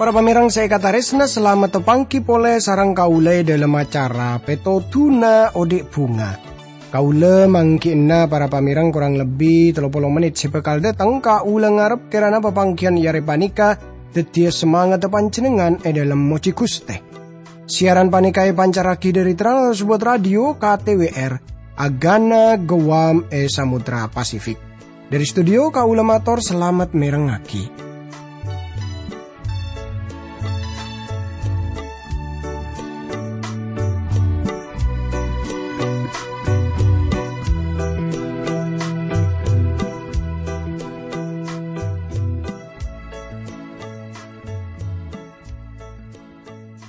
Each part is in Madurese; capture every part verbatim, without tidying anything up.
Para pamèrèng sè èkatarèsna, salamet tapangghi polè sareng kaulâ è dhâlem acara Pètodhuna Odi' Bhunga. Kaulâ mangghi'na para pamèrèng korang lebbi tello polo mennit sè bhâkal dâteng. Kaulâ ngarep kèrana papangghiyân è arè panèka dhâddhiyâ samangatta panjhennengngan è dhâlem mojhi Ghustè. Siaran panèka èpancarraghi dhâri Trans World Radio K T W R, Agana Guam è Samudra Pasifik. Dhâri studio kaulâ mator salamet mèrengngaghi.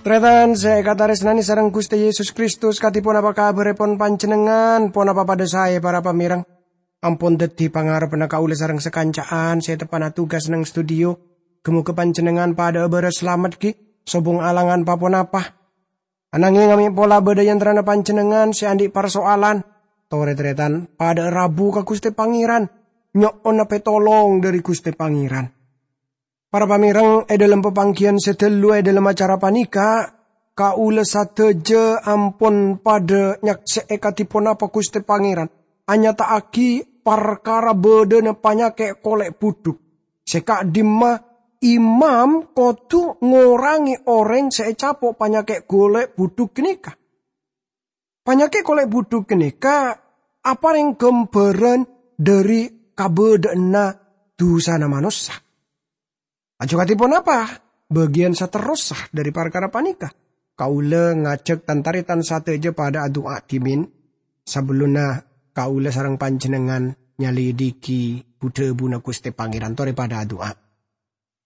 Tarètan sè èkatarèsnanè sareng Ghustè Yesus Kristus, kadhi ponapa kabhârrèpon panjhennengngan? Ponapa padhâ saè, para pamèrèng? Ampon dhâddhi pangarebbhâ kaulâ sareng sakanca'an sè teppa'na tugas neng studio. Ghâ-mogâ panjhennengngan padhâ'â bârâs salamet, ghi, sobung alangan pa-ponapa. Ananghèng, amè' pola bâdâ è antarana panjhennengngan sè andi' parsoalan, torè-tarètan padhâ'â rabu ka Ghustè Pangèran, nyo'ona pètolong dhâri Ghustè Pangèran. Para pamèrèng, è dhâlem papangghiyân sè ghâllu è dhâlem acara panèka, kaulâ sadhâjâ ampon padhâ nyaksè'è kadhi ponapa Ghustè Pangèran anyata'aghi parkara bâdâna panyakè' kolè' budhuk, sè ka'dimma imam kodhu ngorangè orèng sè ècapo' panyakè' kolè' budhuk ghânèka. Panyakè' kolè' budhuk ghânèka aparèng ghâmbhârân dhâri kabâdâ'ânna dhusana manossa. Laju kadhi ponapa bâgiyân saterrossa dhâri parkara panèka? Kaulâ ngajhâk tan-tarètan sadhâjâ padhâ adu'a dhimèn, sabellunna kaulâ sareng panjhennengngan nyalèdhighi bu-dhâbuna Ghustè Pangèran. Torè padhâ adu'a.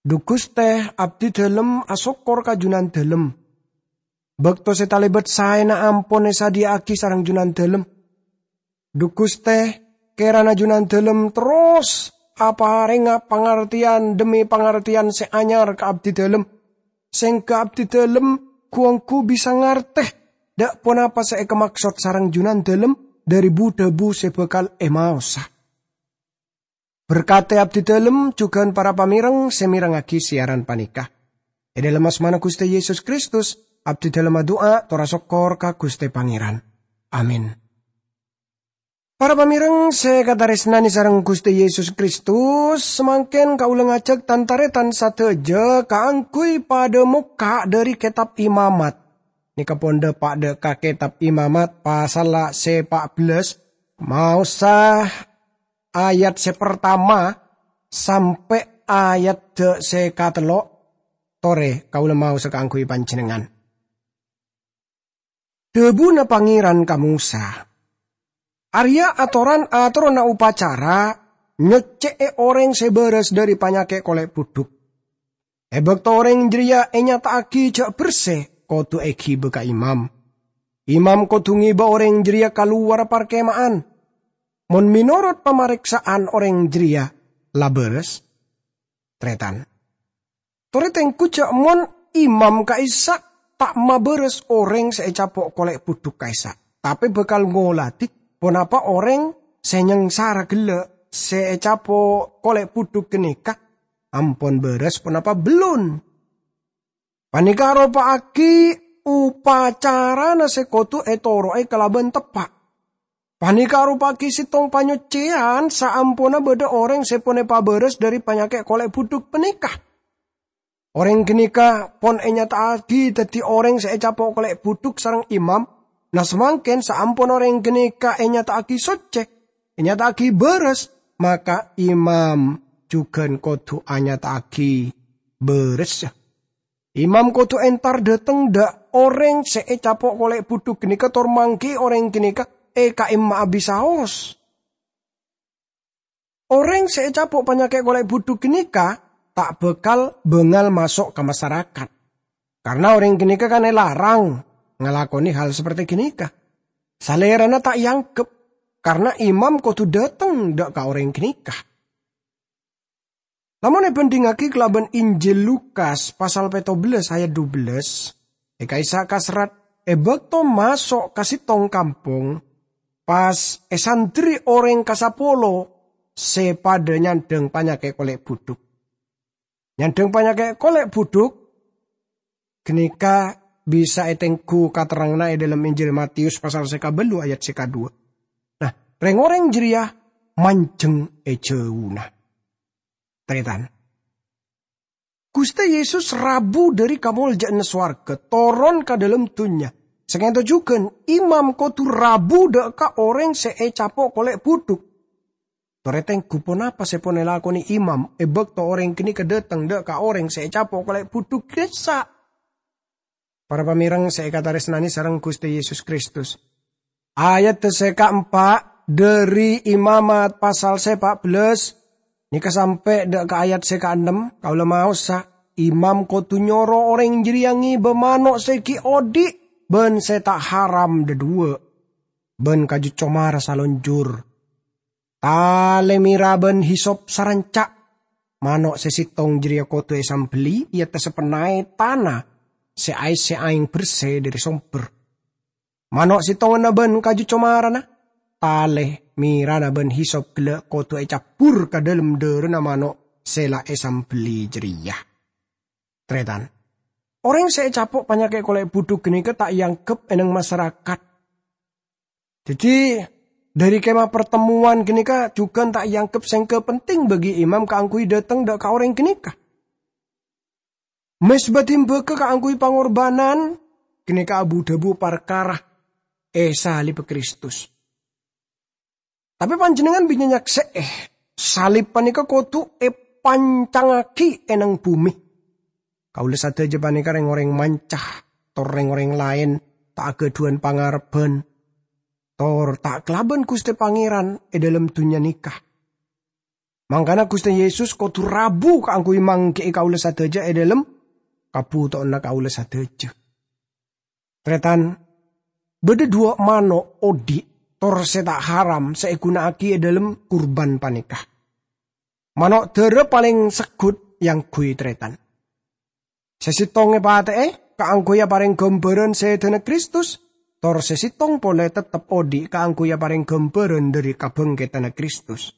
Dhu Ghustè, abdhi dhâlem asokkor ka Jhunandhâlem. Bâkto sè talèbât saèna ampon èsadhiyâ'âghi sareng Jhunandhâlem. Dhu Ghustè, kèrana Jhunandhâlem terros aparènga pangartèyan dhemmi pangartèyan sè anyar ka abdhi dhâlem, sèngghâ abdhi dhâlem ghu-ongghu bisa ngartè dâ' ponapa sè èkamaksod sareng Jhunandhâlem dhâri bu-dhâbu sè bhâkal èmaosa. Berkadhi abdhi dhâlem jhughân para pamèrèng sè mèrengngaghi siaran panèka. È dhâlem asmana Ghustè Yesus Kristus, abdhi dhâlem adu'a tor asokkor ka Ghustè Pangèran. Amin. Para pamèrèng sè èkatarèsnanè sareng Ghustè Yesus Kristus, samangkèn kaulâ ngajhâk tan-tarètan sadhâjâ kaangghuy padhâ mokka' dhâri Kètab Imamat. Nèka pon dâpa' dâ' ka Kètab Imamat pasalla sè pa' bellâs, maosa ayat sè partama sampè' ayat dâ' sè katello', torè kaulâ maosa kaangghuy panjhennengngan. Dhâbuna Pangèran ka Mosa, "Arèya atoran atoronna opacara nyoccè'è orèng sè bârâs dhâri panyakè' kolè' budhuk. È bâkto orèng jârèya ènyata'aghi jhâ' bersè, kodhu èghibâ ka imam. Imam kodhu ngèbâ orèng jârèya ka lowarra parkèma'an. Mon mènorot pamarèksa'an orèng jârèya la bârâs, tarètan. Torè tengghu jhâ' mon imam ka'issa' ta' mabârâs orèng sè ècapo' kolè' budhuk ka'issa', tapè bhâkal ngoladhi ponapa orèng sè nyangsara ghellâ' sè ècapo' kolè' budhuk ghânèka ampon bârâs ponapa bellun. Panèka aropa'aghi opacarana sè kodhu ètoro'è kalabân teppa'. Panèka aropa'aghi sèttong panyoccèyan saamponna bâdâ orèng sè pon èpabârâs dhâri panyakè' kolè' budhuk panèka. Orèng ghânèka pon ènyata'aghi dhâddhi orèng sè ècapo' kolè' budhuk sareng imam. Na, samangkèn saampon orèng ghânèka ènyata'aghi soccè, ènyata'aghi bârâs, maka imam jhughân kodhu anyata'aghi bârâssa. Imam kodhu entar dâteng dâ' orèng sè ècapo' kolè' budhuk ghânèka tor mangghi'i orèng ghânèka è ka'imma abisaos. Orèng sè ècapo' panyakè' kolè' budhuk ghânèka ta' bhâkal bângal maso' ka masarakat, karna orèng ghânèka kan èlarang ngalakonè hal saperte ghânèka. Salèrana ta' èangghep, karna imam kodhu dâteng dâ' ka orèng ghânèka." Lamon èbhândhingngaghi kalabân Injil Lukas pasal pètto bellâs ayat dubellâs, È ka'issa' kaserrat, è bâkto maso' ka sèttong kampong, pas èsandherri orèng ka sapolo sè padâ nyandhâng panyakè' kolè' budhuk. Nyandhâng panyakè' kolè' budhuk ghânèka bisa ètengghu katerranganna è dhâlem Injil Matius pasal sè kabâllu ayat sè kadhuwâ. Nah, rèng-orèng jârèya manjheng è jhâuna. Tarètan. Ghustè Yesus rabu dhâri kamoljâ'ânna sowarghâ, toron ka dhâlem dhunnya. Sakènto jhughân, imam kodhu rabu dhâ' ka orèng sè ècapo' kolè' budhuk. Torè tengghu ponapa sè pon èlakonè imam è bâkto orèng ghânèka dâteng dhâ' ka orèng sè ècapo' kolè' budhuk ka'issa'? Para pamèreng sè èkatarèsnanè sareng Ghustè Yesus Kristus. Ayat sè kaempa' dhâri Imamat pasal sè pa' bellâs nèka sampè' dhâ' ka ayat sè kaennem, kaulâ maosa, imam kodhu nyoro orèng jârèya ngèbâ mano' sè ghi' odhi' bân sè ta' haram dhâduwâ', bân kaju comara salonjhur. Talè mèra bân hisop saranca'. Mano' sè sèttong jârèya kodhu èsambelli è attassa penna'è tana sè aèssè aèng bersè dhâri sombher. Mano' sèttonganna bân kaju comarana, talè, mèrana bân hisop ghellâ' kodhu ècabbhur ka dhâlem dhârâna mano' sè la èsambelli jârèya. Tarètan. Orèng sè ècapo' panyakè' kolè' budhuk ghânèka ta' èangghep è nèng masarakat. Dhâddhi, dhâri kemah partemmowan ghânèka jhughân ta' èangghep sèngghâ penting bagi imam kaangghuy dâteng dhâ' ka orèng ghânèka. Mezba dimbâgâ kaangghuy pangorbhânan ghânèka abu-dhâbu parkara èsalibbhâ Kristus. Tapè panjhennengngan bânnya' nyaksè'è, salib panèka kodhu èpancangngaghi è nèng bhumè. Kaulâ sadhâjâ panèka rèng-orèng manca, tor rèng-orèng laèn ta' aghâdhuwân pangarebbhân, tor ta' kalabân Ghustè Pangèran è dhâlem dhunnya nèka. Mangkana Ghustè Yesus kodhu rabu kaangghuy mangghi'i kaulâ sadhâjâ è dhâlem kabhutowanna kaulâ sadhâjâ. Tarètan, bâdâ dhuwâ' mano' odhi' tor sè ta' haram sè èghuna'aghi è dhâlem kurban panèka. Mano' dârâ palèng segghut èangghuy tarètan. Sè sèttong èpatè'è kaangghuy aparèng ghâmbhârân sèdhâna Kristus, tor sè sèttong polè teptep odhi' kaangghuy aparèng ghâmbhârân dhâri kabhângkeddhânna Kristus.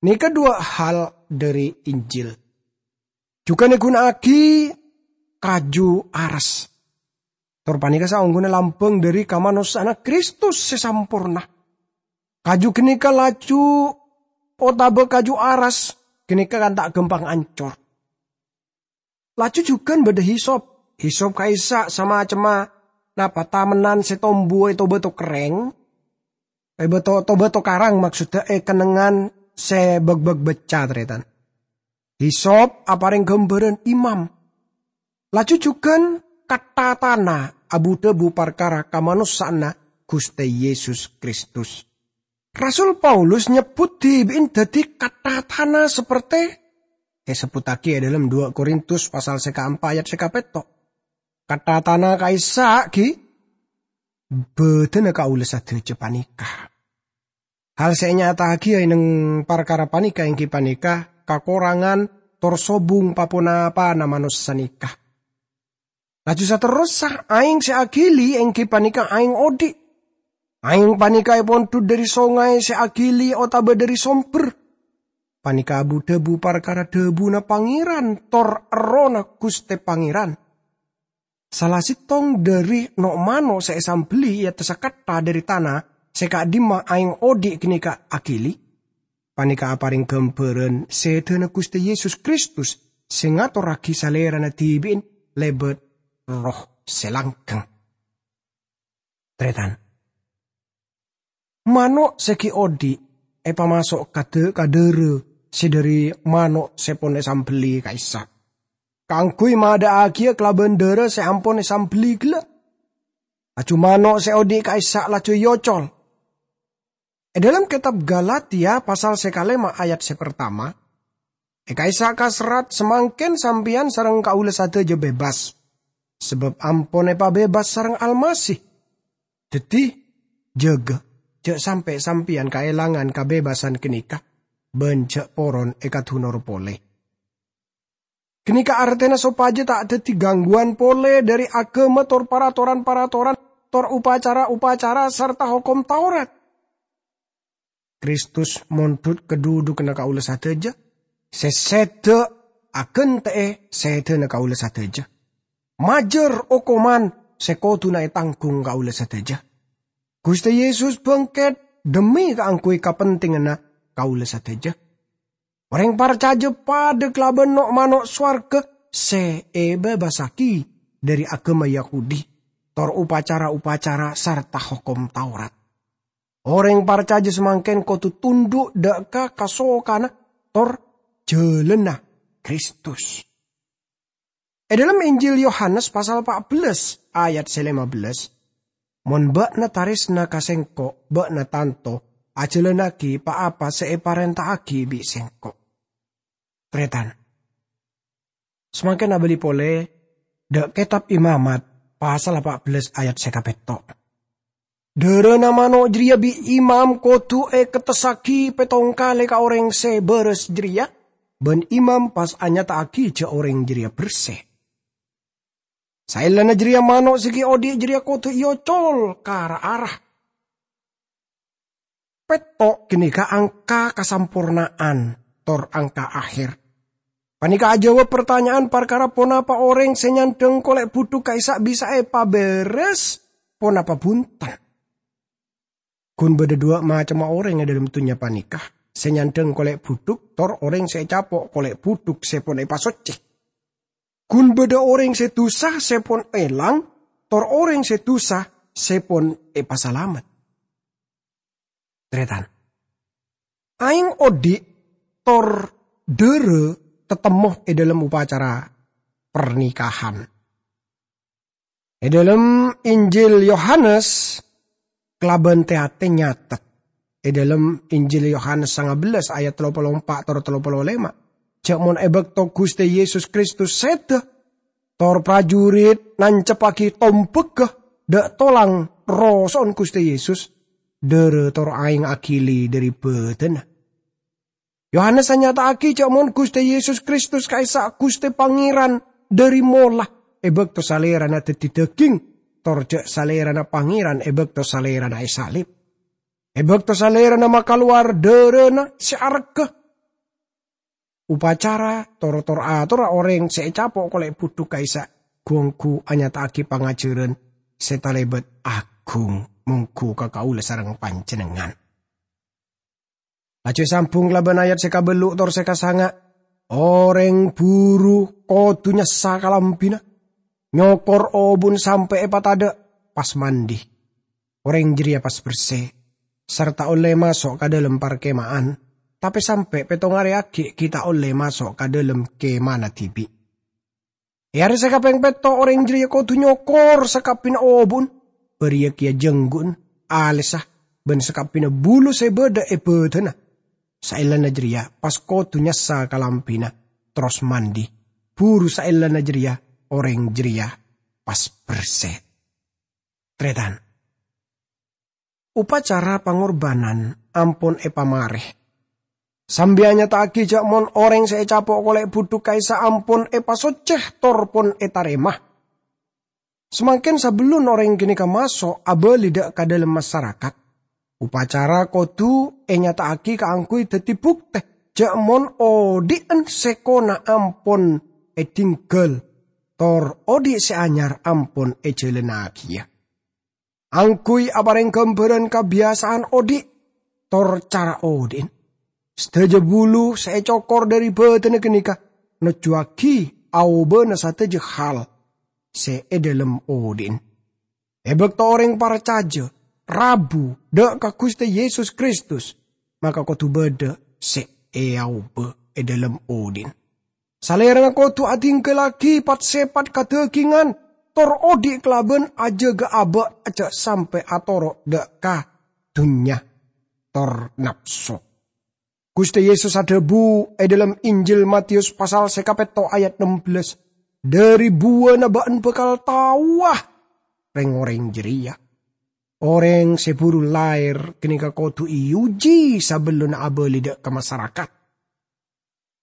Nèka dhuwâ' hal dhâri Injil. Jhughân èghuna'aghi kaju aras. Tor panèka saongghuna lambâng dhâri kamanossa'anna Kristus sè samporna. Kaju ghânèka laju otabâ kaju aras ghânèka kan ta' ghâmpang ancor. Laju jhughân bâdâ hisop. Hisop ka'issa' samacemma napa tamennan sè tombu è to-bâto kerrèng, è bâto, to-bâto karang, maksodda è kennengngan sè bâk-bâk becca, tarètan. Hisop aparèng ghâmbhârân imam. Laju jhughân kattha tana abu-dhâbu parkara kamanossa'anna Ghustè Yesus Kristus. Rasul Paulus nyebbhut dhibi'en dhâddhi kattha tana sapertè èsebbhuttaghi è dhâlem dua Korintus pasal sè kaempa' ayat sè kapètto'. Kattha tana ka'issa' ghi' bâdâna kaulâ sadhâjâ panèka. Hal sè ènyata'aghiyâ è nèng parkara panèka èngghi panèka kakorangan tor sobung pa-ponapana manossa nèka. Laju saterrossa, aèng sè aghili èngghi panèka aèng odhi'. Aèng panèka èpondhut dhâri songay sè aghili otabâ dhâri sombher. Panèka abu-dhâbu parkara dhâbuna Pangèran tor Errohna Ghustè Pangèran. Sala sèttong dhâri no'-mano' sè èsambelli è attassa kattha dhâri tana sè ka'dimma aèng odhi' ghânèka aghili, panèka aparèng ghâmbhârân sèdhâna Ghustè Yesus Kristus sè ngatorraghi Salèrana dhibi'en lèbât Erroh sè langghâng. Tarètan. Mano' sè ghi' odhi' èpamaso' ka dâ-, ka dhârâ sè dhâri mano' sè pon èsambelli ka'issa', kaangghuy madâ'aghiyâ kalabân dhârâ sè ampon èsambelli ghellâ'. Laju mano' sè odhi' ka'issa' laju èocol. È dhâlem kètab Galatia pasal sè kalèma' ayat sè partama, è ka'issa' kaserrat, "Samangkèn sampèyan sareng kaulâ sadhâjâ bebas, sabâb ampon èpabebas sareng Almasih. Dhâddhi, jâgâ, jhâ' sampè' sampèyan kaèlangan kabebasan ghânèka, bân jhâ' poron èkadunor polè." Ghânèka artèna sopajâ ta' dhâddhi gangguwân polè dhâri aghâma tor paratoran-paratoran, tor upacara-upacara, sarta Hokom Taurat. Kristus mondhut ka dhudhughânna kaulâ sadhâjâ, sè sèdhâ aghântè'è sèdhâna kaulâ sadhâjâ. Majâr okoman sè kodhuna ètangghung kaulâ sadhâjâ. Ghustè Yesus bângkèt dhemmi kaangghuy kapentènganna kaulâ sadhâjâ. Orèng parcajâ padâ kalabân no'-mano' sowarghâ sè èbâbâsaghi dhâri aghâma Yahudi, tor upacara-upacara sarta Hokom Taurat. Orèng parcajâ samangkèn kodhu tondhu' dhâ' ka kasokanna tor jhâlânna Kristus. È dhâlem Injil Yohanes pasal pa' bellâs ayat sè lèma bellâs, "Mon bâ'na tarèsna ka Sèngko', bâ'na tanto ajhâlânnaghi pa-apa sè èparènta'aghi bi' Sèngko'." Tarètan. Samangkèn abâli polè dhâ' Kètab Imamat pasal pa' bellâs ayat sè kapètto'. Dhârâna mano' jârèya bi' imam kodhu èkettessaghi pèttong kalè ka orèng sè bârâs jârèya, bân imam pas anyata'aghi jhâ' orèng jârèya bersè. Saellana jârèya mano' sè ghi' odhi' jârèya kodhu èocol ka ra-ara. Pètto' ghânèka angka kasamporna'an, tor angka aher. Panèka ajâwâb partanya'an parkara ponapa orèng sè nyandhâng kolè' budhuk ka'issa' bisa èpabârâs, ponapa bhunten. Ghun bâdâ dhuwâ' macemma orèng è dhâlem dhunnya panèka, sè nyandhâng kolè' budhuk tor orèng sè ècapo' kolè' budhuk sè pon èpasoccè. Ghun bâdâ orèng sè dusa sè pon èlang, tor orèng sè dusa sè pon èpasalamet. Tarètan. Aèng odhi' tor dhârâ tatemmo è dhâlem upacara parnikahan. È dhâlem Injil Yohanes kalabân tè-atè nyatet. È dhâlem Injil Yohanes sanga bellâs ayat tello polo empa' tor tello polo lèma', jhâ' mon è bâkto Ghustè Yesus Kristus sèdhâ, tor parjurit nanceppaghi tombhâghâ dhâ' tolang roso'na Ghustè Yesus, dhârâ tor aèng aghili dhâri bâdâna. Yohanes anyata'aghi jhâ' mon Ghustè Yesus Kristus ka'issa' Ghustè Pangèran dhâri mola è bâkto Salèrana dhâddhi dhâghing, tor jhâ' Salèrana Pangèran è bâkto Salèrana èsalib. È bâkto Salèrana makalowar dhârâna sè aregghâ, upacara tor-tor atorra orèng sè ècapo' kolè' budhuk ka'issa' ghu-ongghu anyata'aghi pangajhârân sè talèbât aghung mongghu ka kaulâ sareng panjhennengngan. Laju èsambhung kalabân ayat sè kabâllu' tor sè kasanga', "Orèng buru kodhu nyassa kalambhina, nyokor obun sampè' èpatadâ', pas mandi. Orèng jârèya pas bersè, sarta ollè maso' ka dhâlem parkema'an, tapè sampè' pèttong arè aghi' ghi' ta' ollè maso' ka dhâlem kemana dhibi'. È arè sè kapèng pètto' orèng jârèya kodhu nyokor sakabbhina obu'na, bâriyâ kèya jhângghu'na, alèssa, bân sakabbhina bulu sè bâdâ è bâdâna. Saellana jârèya pas kodhu nyassa kalambhina, terros mandi. Buru saellana jârèya orèng jârèya pas bersè." Tarètan. Upacara pangorbhânan ampon èpamarè. Sambi anyata'aghi jhâ' mon orèng sè ècapo' kolè' budhuk ka'issa' ampon èpasoccè tor pon ètarèma. Samangkèn sabellunna orèng ghânèka maso' abâli dhâ' ka dhâlem masarakat, upacara kodhu ènyata'aghi kaangghuy dhâddhi buktè jhâ' mon odhi'na sèkona ampon èdhingghâl, tor odhi' sè anyar ampon èjhâlânnagiyâ. Angghuy aparèng ghâmbhârân kabiyasa'an odhi', tor cara odhi'na. Sadhâjâ bulu sè ècokor dhâri bâdâna ghânèka nojjuwâghi aobâna sadhâjâ hal sè è dhâlem odhi'na. È bâkto orèng parcajâ rabu dhâ' ka Ghustè Yesus Kristus, maka kodhu bâdâ sè èaobâ è dhâlem odhi'na. Salèrana kodhu adhingghâllaghi pat-sèpat kadhâghingan, tor odhi' kalabân ajâgâ abâ' jhâ' sampè' atoro' dhâ' ka dhunnya tor napso. Ghustè Yesus adhâbu è dhâlem Injil Mateyus pasal sè kapètto' ayat nem bellâs, "Dhâri buwâna bâ'na bhâkal taowa rèng-orèng jârèya. Orèng sè buru laèr ghânèka kodhu èuji sabellunna abâli dhâ' ka masarakat."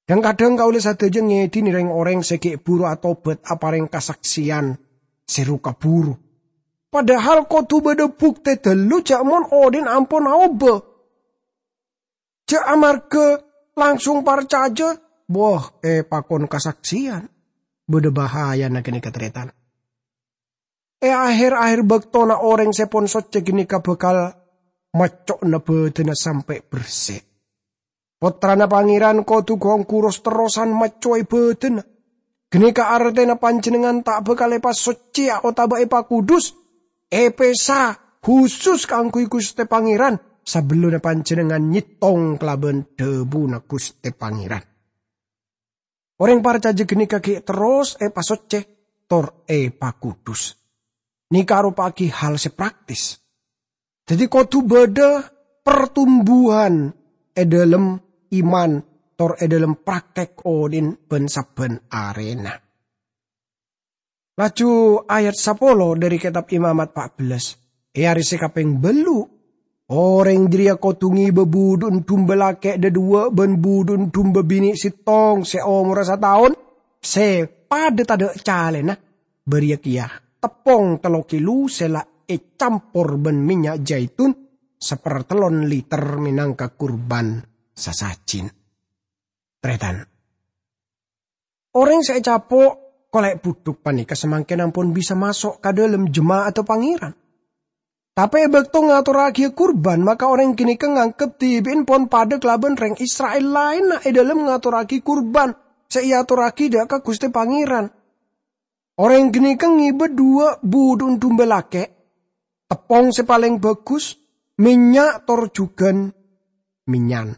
Dhâng-kadhâng kaulâ sadhâjâ ngèdhini rèng-orèng sè ghi' bhuru atobhât aparèng kasaksèyan sè ru-kabhuru. Padahal kodhu bâdâ buktè ghâllu jhâ' mon odhi'na ampon aobâ. Jhâ' amarghâ langsung parcajâ, bâh, èpakon kasaksèyan. Bâdâ bahayana ghânèka, tarètan. È aher-aher bâktona orèng sè pon soccè ghânèka bhâkal macco'na bhâdhânna sampè' bersè. Pottrana Pangèran kodhu ghun-ghuru ros-terrosan maccowè bhâdhânna. Ghânèka artèna panjhennengngan ta' bhâkal èpasoccèya otabâ èpakudus, èpèsa husus kaangghuy Ghustè Pangèran, sabellunna panjhennengngan nyèttong kalabân dhâbuna Ghustè Pangèran. Orèng parcajâ ghânèka ghi' terros èpasoccè tor èpakudus. Nèka aropa'aghi hal sè praktis. Dhâddhi kodhu bâdâ pertumbuhan è dhâlem iman tor è dhâlem praktek odhi'na bân sabbhân arèna. Laju ayat sapolo dhâri Kètab Imamat pa' bellâs, è arè sè kapèng bâllu', orèng jârèya kodhu ngibâ budhu'na dumba lakè' dhâdhuwâ' bân budhu'na dumba binè' sèttong sè omorra sataon, sè padâ tadâ' calèna, bâriyâ kèya teppong tello kilo sè la ècampor bân mènnya' jaitun sapartellon liter mènangka kurban sasajin. Tarètan. Orèng sè ècapo' kolè' budhuk panèka samangkèn ampon bisa maso' ka dhâlem jema'adda Pangèran. Tapè è bâkto ngatorraghiyâ kurban, maka orèng ghânèka nganggep dhibi'na pon padâ kalabân rèng Isra'il laènna è dhâlem ngatorraghi kurban sè èatorraghi dâ' ka Ghustè Pangèran. Orèng ghânèka ngibâ dhuwâ' budhu'na dumba lakè', teppong sè palèng bhâghus, mènnya' tor jhughân mènyan.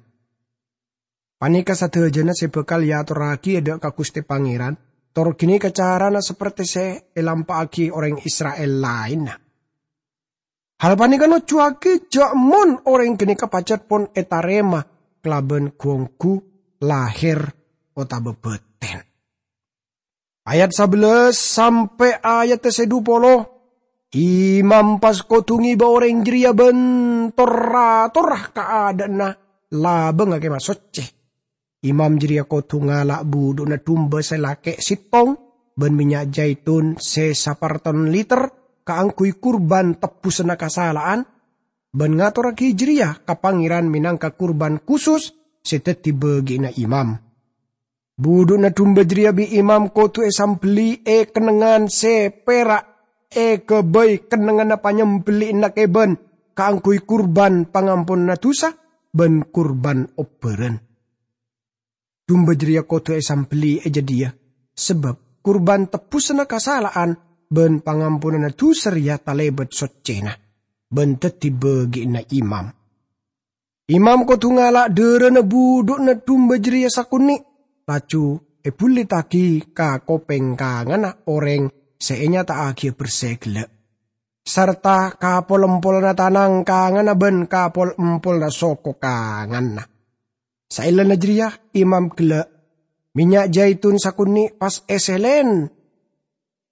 Panèka sadhâjâna sè bhâkal èatorraghi dâ' ka Ghustè Pangèran, tor ghânèka carana sapertè sè èlampa'aghi orèng Isra'il laènna. Hal panèka nojjhuwâghi jhâ' mon orèng ghânèka pajhât pon ètarèma kalabân ghu-ongghu lahèr otabâ bâtèn. Ayat sabellâs sampè' ayat sè dhu polo, imam pas kodhu ngibâ orèng jârèya bân tor-atorra ka adâ'na labângnga Kèma Soccè. Imam jârèya kodhu ngala' budhu'na dumba sè lakè' sèttong bân mènnya' jaitun sè saparton liter kaangghuy kurban tebbusanna kasala'an, bân ngatorraghi jârèya ka Pangèran mènangka kurban khusus sè dhâddhi bâgi'na imam. Budhu'na dumba jârèya bi' imam kodhu èsambelli è kennengngan sè pèra' èghâbây kennengnganna panyambelli'anna kèbân kaangghuy kurban pangamponanna dhusa bân kurban obbhârân. Dumba jârèya kodhu èsambelli è jâdiyâ, sabâb kurban tebbusanna kasala'an bân pangamponanna dhusa rèya talèbât soccèna, bân dhâddhi bâgi'na imam. Imam kodhu ngala' dârâna budhu'na dumba jârèya sakonè', laju èbhullitaghi ka kopèng kanganna orèng sè ènyata'aghiyâ bersè ghellâ', sarta ka pol-empolanna tanang kanganna bân ka pol-empolanna soko kanganna. Saellana jârèya imam ghellâ' mènnya' jaitun sakonè' pas èsèlèn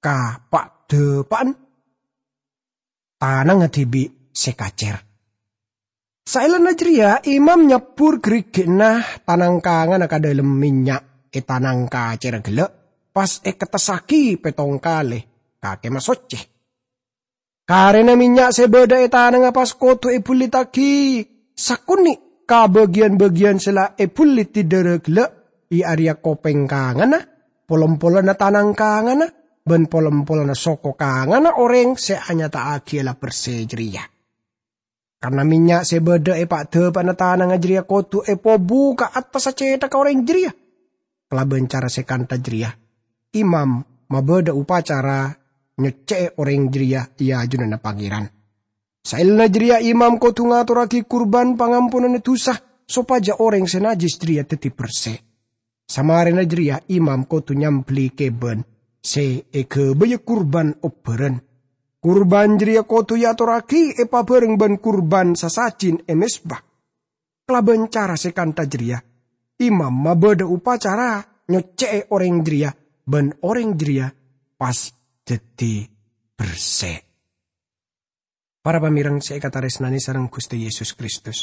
ka pa'-dâpa'an tanangnga dhibi' sè kacèr. Saellana jârèya imam nyabbhur ghârighi'na tanang kanganna ka dhâlem mènnya' è tanang kacèrra ghellâ', pas èkettessaghi pèttong kalè ka Kèma Soccè. Karèna mènnya' sè bâdâ è tanangnga pas kodhu èbhullitaghi sakonè' ka bâgiyân-bâgiyân sè la èbhulliti dârâ ghellâ', è arèya kopèng kanganna, pol-empolanna tanang kanganna, bân pol-empolanna soko kanganna orèng sè anyata'aghiyâ la bersè jârèya. Karna mènnya' sè bâdâ è pa'-dâpa'na tanangnga jârèya kodhu èpobu ka attassa cèthakka orèng jârèya. Kalabân cara sè kantha jârèya, imam mabâdâ opacara nyoccè'è orèng jârèya è ajunanna Pangèran. Saellana jârèya imam kodhu ngatorraghi kurban pangamponanna dhusa sopajâ orèng sè najjhis jârèya dhâddhi bersè. Samarèna jârèya imam kodhu nyambelli kèbân sè èghâbâyâ kurban obbhârân. Kurban jârèya kodhu èatorraghi èpabhâreng bân kurban sasajin è mezba. Kalabân cara sè kantha jârèya, imam mabâdâ opacara nyoccè'è orèng jârèya, bân orèng jârèya pas dhâddhi bersè. Para pamèreng sè èkatarèsnanè sareng Ghustè Yesus Kristus.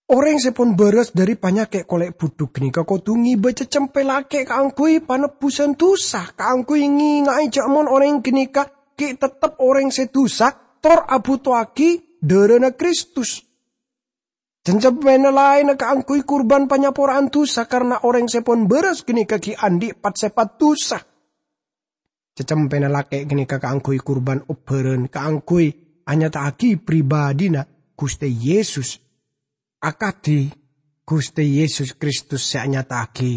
Orèng sè pon bârâs dhâri panyakè' kolè' budhuk ghânèka kodhu ngèbâ cècèmpè lakè' kaangghuy panebbusan dhusa, kaangghuy ngènga'è jhâ' mon orèng ghânèka ghi' tettep orèng sè dhusa, tor abhutoaghi dhârâna Kristus. Cècèmpèna laènna kaangghuy kurban panyapora'an dhusa, karna orèng sè pon bârâs ghânèka ghi' andi' pat-sèpat dhusa. Cècèmpèna lakè' ghânèka kaangghuy kurban obbhârân, kaangghuy anyata'aghi pribadhina Ghustè Yesus, akadhi Ghustè Yesus Kristus sè anyata'aghi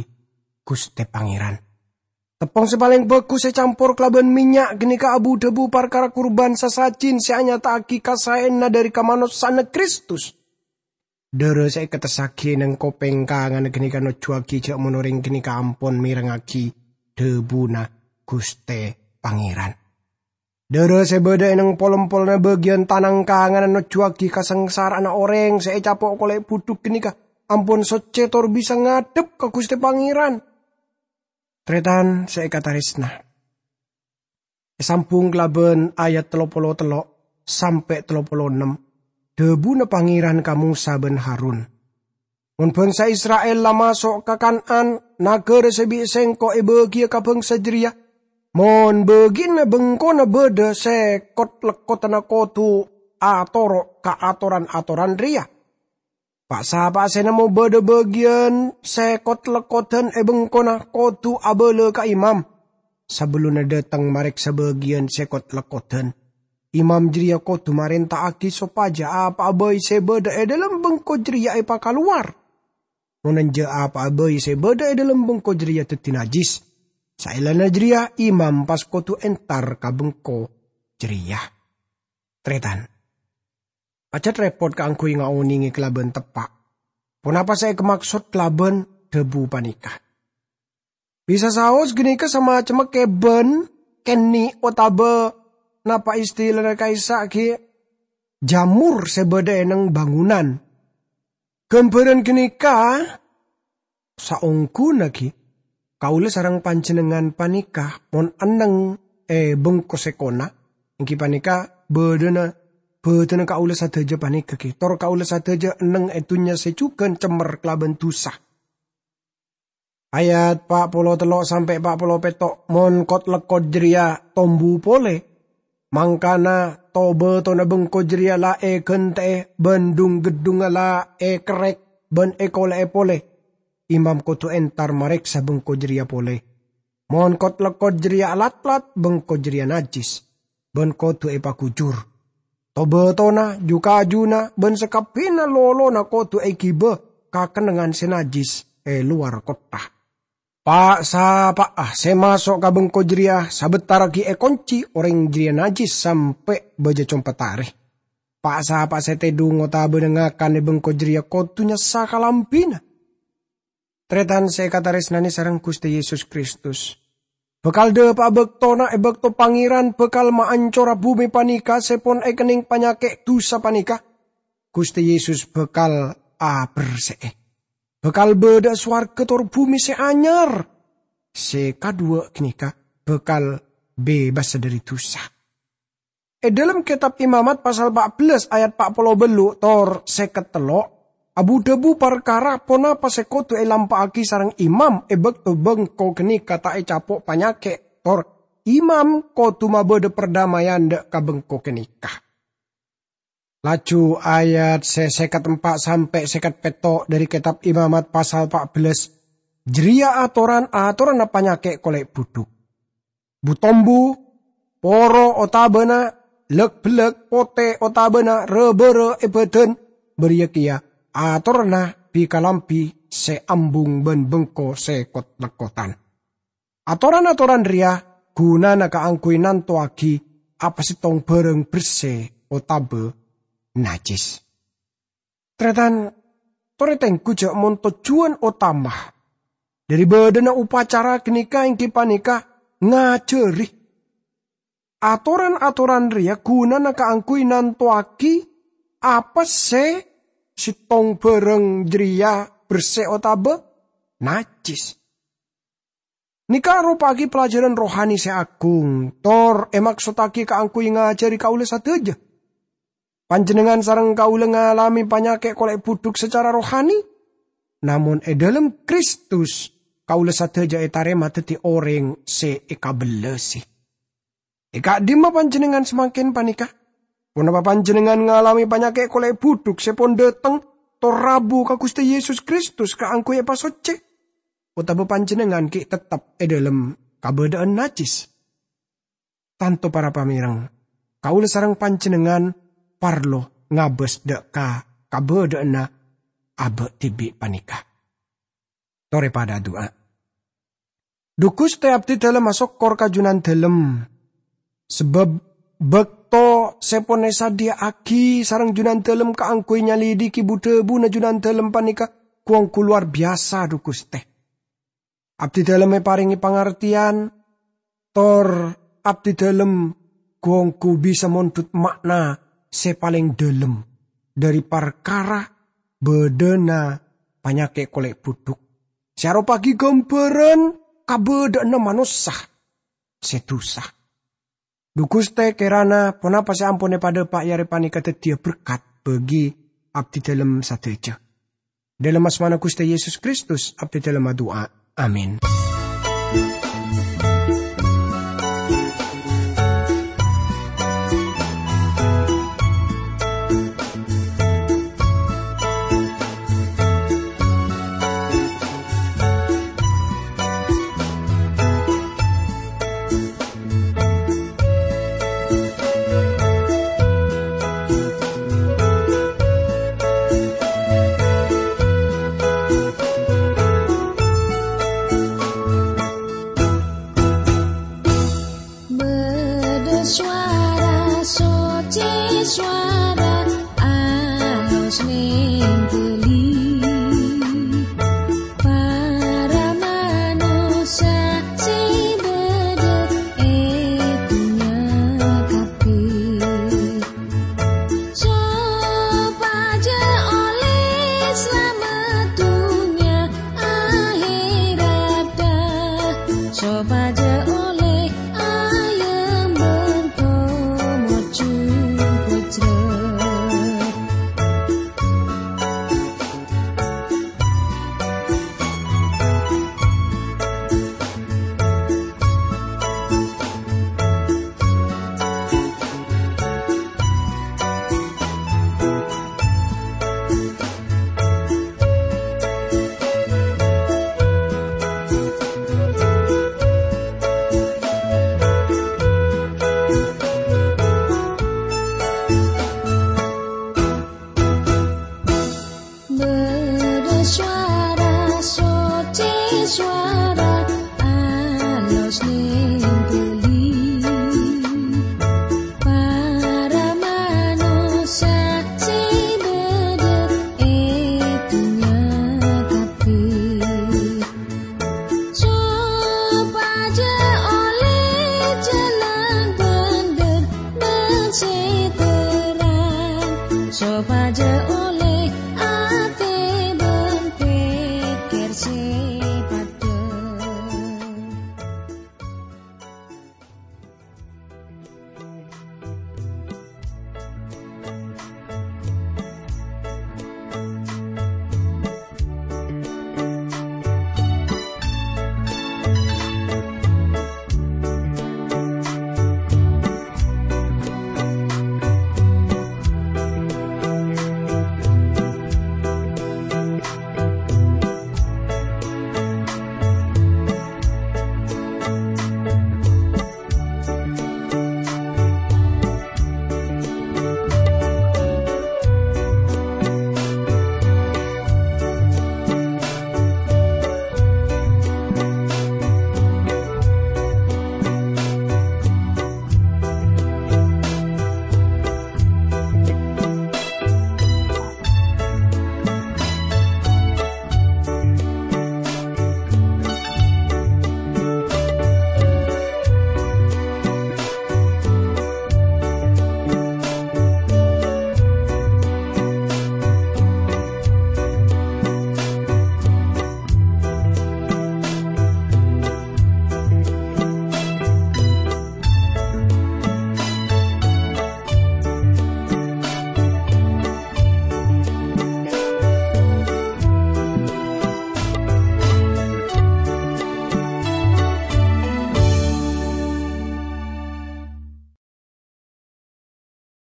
Ghustè Pangèran. Teppong sè palèng bhâghus ècampor kalabân mènnya' ghânèka abu-dhâbu parkara kurban sasajin sè anyata'aghi kasaèyanna dhâri kamanossa'anna Kristus. Dhârâ sè èketessaghi neng kopèng kanganna ghânèka nojjhuwâghi jhâ' mon orèng ghânèka ampon mèrengngaghi dhâbuna Ghustè Pangèran. Dhârâ sè bâdâ è neng pol-empolna bâgiyân tanang kanganna nojjhuwâghi kasangsara'anna orèng sè ècapo' kolè' budhuk ghânèka ampon soccè tor bisa ngadhep ka Ghustè Pangèran. Tarètan sè èkatarèsna. Èsambhung kalabân ayat tello polo tello' sampè' tello polo ennem, dhâbuna Pangèran ka Mosa bân Harun, "Mon bangsa Isra'il la maso' ka Kan'an, naghârâ sè bi' Sèngko' èbâgiyâ ka bangsa jârèya, mon bâgiyânna bengkona bâdâ sè kot-lekkodanna kodhu atoro' ka atoran-atoran rèya. Pa'-sapa'a sè nemmo bâdâ bâgiyân sè kot-lekkodan è bengkona kodhu abâlâ ka imam, sabellunna dâteng marèksa bâgiyân sè kot-lekkodan. Imam jârèya kodhu marènta'aghi sopajâ apa'a bhâi sè bâdâ è dâlem bengko jârèya èpakalowar. Mon enjâ', apa'a bhâi sè bâdâ è dâlem bengko jârèya dhâddhi najjhis. Saellana jârèya, imam pas kodhu entar ka bengko jârèya." Tarètan. Pajhât rèpot kaangghuy ngaonèngè kalabân teppa' ponapa sè èkamaksod kalabân dhâbu panèka. Bisa saos ghânèka samacemma kèbân, kènè', otabâ napa istilana ka'issa' ghi' jamur sè bâdâ è neng bângonan. Ghâmbhârân ghânèka saongghuna ghi' kaulâ sareng panjhennengngan panèka mon enneng è bengko sè kona, èngghi panèka bâdâna, bâdâna kaulâ sadhâjâ panèka ghi', tor kaulâ sadhâjâ enneng è dhunnya sè jhughân cemmer kalabân dhusa. Ayat pa' polo tello' sampè' pa' polo pètto', "Mon kot-lekkot jârèya tombu polè, mangkana to-bâtona bengko jârèya la èghântè'è bân dhung-geddhungnga la èkerrèk bân èkolè'è polè, imam kodhu entar marèksa bengko jârèya polè. Mon kot-lekkot jârèya alatlat, bengko jârèya najjhis, bân kodhu èpaghujur. To-bâtona, ju-kajuna, bân sakabbhiyânna lolona kodhu èghibâ ka kennengngan sè najjhis è lowar kottha. Pa'-sapa'a sè maso' ka bengko jârèya sabâttaraghi èkonci, orèng jârèya najjhis sampè' bâjâ compa' tarè. Pa'-sapa'a sè tèdhung otabâna ngakan è bengko jârèya kodhu nyassa kalambhina." Tarètan sè èkatarèsnanè sareng Ghustè Yesus Kristus, bhâkal dhâpa'a bâktona è bâkto Pangèran bhâkal maancora bhumè panèka sè pon èkennèng panyakè' dhusa panèka. Ghustè Yesus bhâkal aberse'è. Bhâkal bâdâ'â sowarghâ tor bhumè sè anyar. Sè kadhuwâ' ghânèka bhâkal bebas dhâri dhusa. È dhâlem Kètab Imamat pasal pa' bellâs ayat pa' polo bâllu' tor sèket tello', abu-dhâbu parkara ponapa sè kodhu èlampa'aghi sareng imam è bâkto bengko ghânèka ta' ècapo' panyakè', tor imam kodhu mabâdâ perdamaian dhâ' ka bengko ghânèka. Laju ayat sè sèket empa' sampè' sèket pètto' dhâri Kètab Imamat pasal pa' bellâs, jârèya atoran-atoranna panyakè' kolè' budhuk. Bu-tombu, poro otabâna lèk-bellèk, potè otabâna râ-bârâ è bâdân, bâriyâ kèya atoranna bi-kalambhi sè ambung bân bengko sè kot-lekkotan. Atoran-atoran rèya ghunana kaangghuy nantowaghi apa sèttong bhârâng bersè otabâ najjhis. Tarètan, torè tengghu jhâ' mon tojjhuwân otama dhâri bâdâna upacara ghânèka èngghi panèka ngajhâri. Atoran-atoran rèya ghunana kaangghuy nantowaghi apa sè sèttong bhârâng jârèya bersè otabâ najjhis. Nèka aropa'aghi pelajaran rohani sè agung, tor èmaksottaghi kaangghuy ngajhâri kaulâ sadhâjâ. Panjhennengngan sareng kaulâ ngalamè panyakè' kolè' budhuk sacara rohani, namong è dhâlem Kristus kaulâ sadhâjâ ètarèma dhâddhi orèng sè èkabellasè. È ka'dimma panjhennengngan samangkèn panèka? Ponapa panjhennengngan ngalamè panyakè' kolè' budhuk sè pon dhâteng tor rabu ka Ghustè Yesus Kristus kaangghuy èpasoccè? Otabâ panjhennengngan ghi' teptep è dhâlem kabâdâ'ân najjhis? Tanto para pamèreng, kaulâ sareng panjhennengngan parlo ngabâs dâ' ka kabâdâ'ânna abâ' dhibi' panèka. Torè padâ adu'a. Dhu Ghustè, abdhidhâlem asokkor ka Junandhâlem, sabâb bâkto sè pon èsadhiyâ'aghi sareng Junandhâlem kaangghuy nyalidhighi bu-dhâbuna Junandhâlem panèka ghu-ongghu lowar biyasa, dhu Ghustè. Abdhidhâlem èparèngè pangartèyan, tor abdhidhâlem ghu-ongghu bisa mondhut ma'na sè palèng dhâlem dhâri parkara bâdâna panyakè' kolè' budhuk, sè aropa'aghi ghâmbhârân kabâdâ'ânna manossa sè dhusa. Dhu Ghustè, kèrana ponapa sè ampon èpadhâpa' è arè panèka dhâddhiyâ berkat bagi abdhidhâlem sadhâjâ. Dhâlem asmana Ghustè Yesus Kristus, abdhidhâlem adu'a. Amin. Bâdâ sowara soccè, sowara alos nèng ghâllu. Para manossa sè bâdâ è dhunnya kabbhi, sopajâ ollè salamet dhunnya ahèratta, sopajâ